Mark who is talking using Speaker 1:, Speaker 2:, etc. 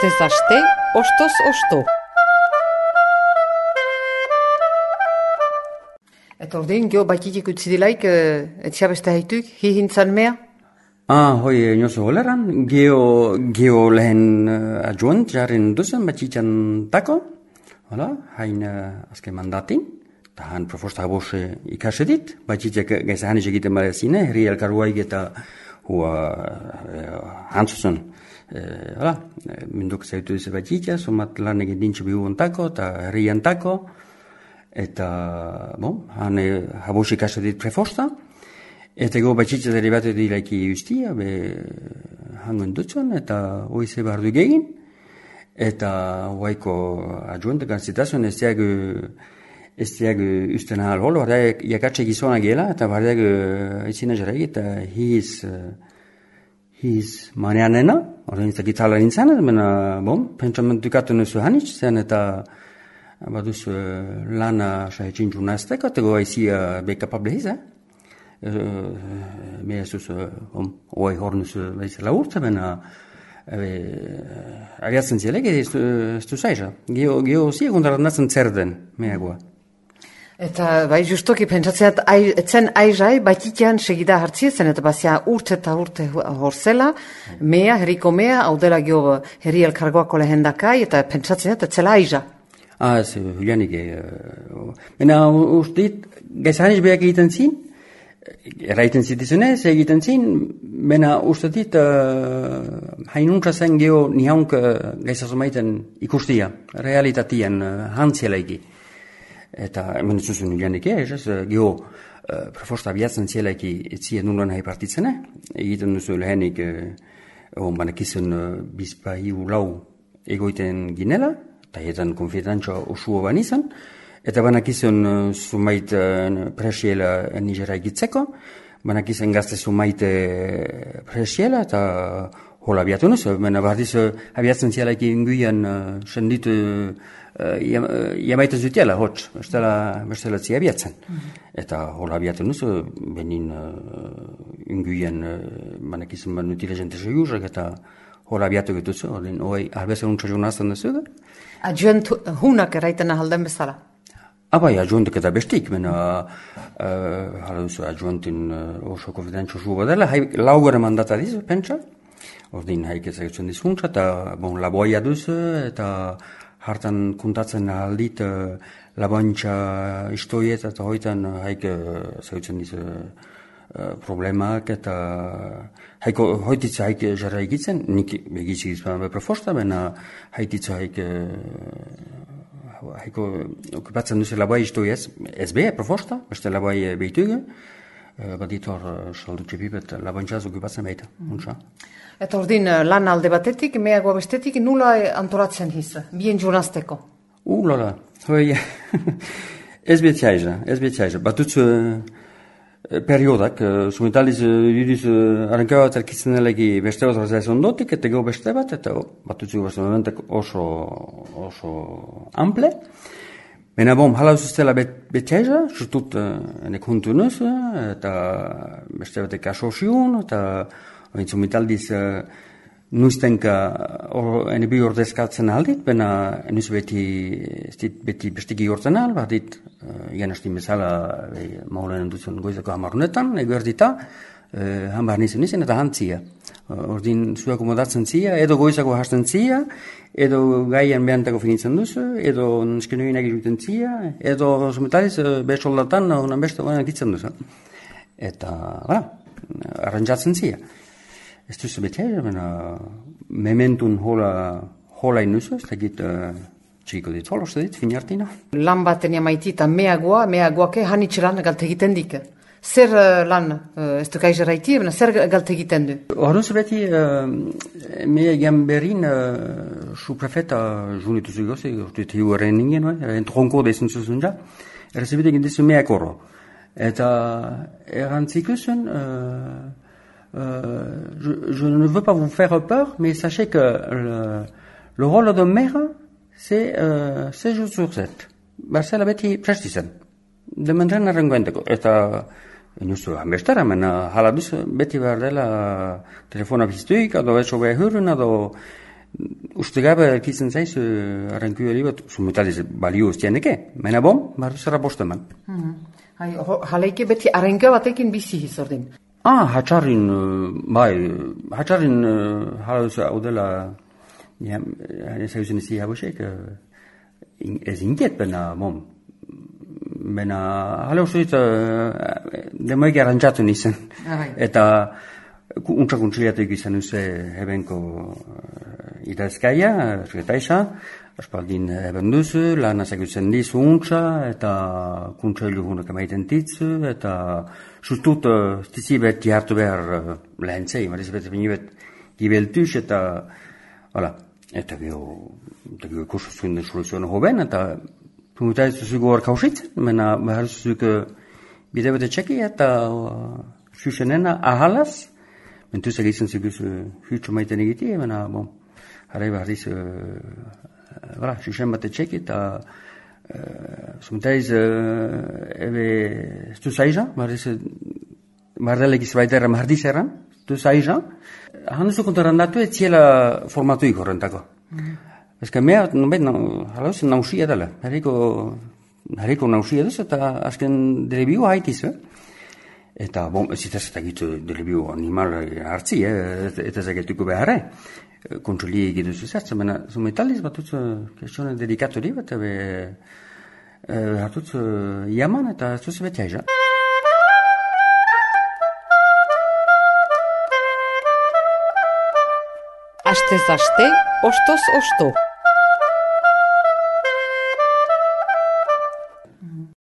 Speaker 1: Astez aste, ostoz osto. Eta ordin, geho batitik utzi dilaik, etxea beste haituk, hihintzan mea?
Speaker 2: Hoi niozu holeran, geho lehen adjunt jaren duzen batitan tako, hain azken mandatin, eta han proposta habos ikasedit, batitek gaiza hanis egiten barezine, herri elkarruaik eta hantzuzen, minduk zaitu duze batitia, somat lan egin dintxe bihuen tako, eta herrian tako, eta, han habos ikasedit prefosta, eta go batxitza derivatu dilaiki ustia, hangoen dutzen, eta hoize behar du gegin, eta hoaiko adjuentekan zitazuen ez diag usten ahal holo, bardeak jakatxe gizona gela, eta bardeak izina jarek, eta hiz maneanena, horrein ez da gitala nintzen, pentsamentukatu nuzu hanitz, zen eta baduz lana sahetxin jurnazteko, eta goa izia bekapable hiz, Mea zuz, oai hornuz bezala urtza, bena abiatzen zielek, ez du zaiza. Geo ziegundarat nazen zer den, meagoa.
Speaker 1: Eta bai justoki pentsatzeat, etzen aizai, batitian segida hartziezen, eta bazia urte eta urte horzela, mea, herriko mea, hau dela geho herri elkargoako lehendakai, eta pentsatzeat, etzela aiza.
Speaker 2: Ez, Julianik, bena ustit, gaizaniz behak egiten zin, erraiten zitizunez, egiten zin, bena uste dit, hainuntza zen geho nihaunk gaizazumaiten ikustia, realitatian, hantzielaiki. Eta hemen zuzun Julianik, geho proposta abiatzen zielaiki etzien nulan hai partitzene, egiten duzu lehenik, banakizun bizpa hiu lau egoiten ginela, eta etan konfidantza usuo banizan, eta banakizun zumait presiela nigera egitzeko, banakizun gazte zumait presiela, eta hola abiatu nuz, bena bardiz abiatzen zialaik inguian senditu jamaiten zutiela, hotz, bestela zi abiatzen. Eta hola abiatu nuz, benin inguian banakizun banutile jente segurrak, eta hola abiatu getuzu, hoi albezen untsa jonazten duzu.
Speaker 1: Adjuent hunak eraiten ahalden bezala?
Speaker 2: Bai, adjuentek eta bestik, hala duzu adjuentin oso konfidentzu zu badela, laugare mandata dizu, pentsa, ordin haik ezagutzen dizuntza, eta laboia duzu, eta hartan kontatzen aldit laboantxa istoiet, eta hoitan haik ezagutzen dizu problemak, eta hoititza haik jarra egitzen, nik egitzik izan beprofosta, bena haititza haik haiko okupatzen duzu labai iztoi ez beha, proposta, beste labai behitugu, baditor saldutxe bibet laboantxaz okupatzen behita.
Speaker 1: Eta ordin lan alde batetik, meagoa bestetik, nula antolatzen hiz, bien jurnazteko?
Speaker 2: Lola, hoi, ez betxaiza, batutzu periodak, sumitaliz judiz arrankaua telkitzen elegi beste bat razaiz ondotik, eta geho beste bat, eta batutzu beste momentek oso ample. Bena hala uzuztela betxaiza, surtut enek huntu nuz, eta beste batek asoziun, eta sumitaliz nuztenka ene bi ordezkatzen aldit, bena nuz beti bestiki gortzen al, bat dit, iganastin bezala maulen dutzen goizako hamarunetan, eguerdita, hambar nizen eta hantzia. Ordin zu akomodatzen zia, edo goizako hasten zia, edo gaian behantako finitzen duzu, edo neskenoinak iruten zia, edo sumetaliz besoldatan honan beste honan ditzen duzu. Eta, arrantzatzen zia. Ez duzu betea, mementun hola inuzu, ez da git txiko dit, holoste dit, finartina.
Speaker 1: Lan baten jamaitita meagoake hanitxelan galte egiten dik. Zer lan, ez du kaiz erraiti, zer galte egiten du?
Speaker 2: Horruz beti, mea gamberin su prefeta junitu zugozi, orduet hiu erren ningen, entronko dezen zuzun ja, errezibite egin dizu meak horro. Eta errantzikusen, je ne veux pas vous faire peur, mais sachez que le rôle de maire, c'est 7 jours sur 7. Barzela beti prestizen. Dementren arrengoenteko. Eta inustu hanbestara, hala duz, beti behar dela telefona biztuik, edo etxo behar hurren, edo uste gabe erkitzen zaiz, arranku hori bat, sumetaliz balio ustianeke, mena bom, zara bosteman.
Speaker 1: Jaleike beti arranka batekin bizi izordin.
Speaker 2: Hatxarrin, hatxarrin hau dela, ezagutzen izi habosek, ez inget bena, bom, bena, hala uste dit, demoik arrantzatu nizan, eta untsa kontsiliatek izan uze hebenko idazkaia, ergetaisa, aspaldin eben duzu, lan azakutzen dizu untsa, eta kuntsailu hunak emaiten ditzu, eta sustut stizibet jartu behar lehentzei, marizibet binibet gibeltuz, eta gero kursu zuen den soluzioan hoben, eta pungutai zuzugu hor kausitzen, mena behar zuzugu bide bete txeki, eta zuzenena ahalaz, mentuz egitzen ziguz hütsu maiten egiti, mena, harai behar diz, zuzen bate txeki, eta zumentaiz ebe stu zaiza, bardelek izbaiterra mardiz erran, stu zaiza, handuzu kontaran datu ez ziela formatuik horrentako. Ezka mea, hala zen nausia dela, hariko nausia duz, eta azken delebio haitiz, Eta, ez itaz eta gitu delebiu animal hartzi, eta zagetuko beharre. Kontsoli egitu zuzertzen, baina zumetaliz batutz kestione dedikatori bat, hartutz jaman eta zuze beti aiza.
Speaker 1: Astez aste, ostoz osto.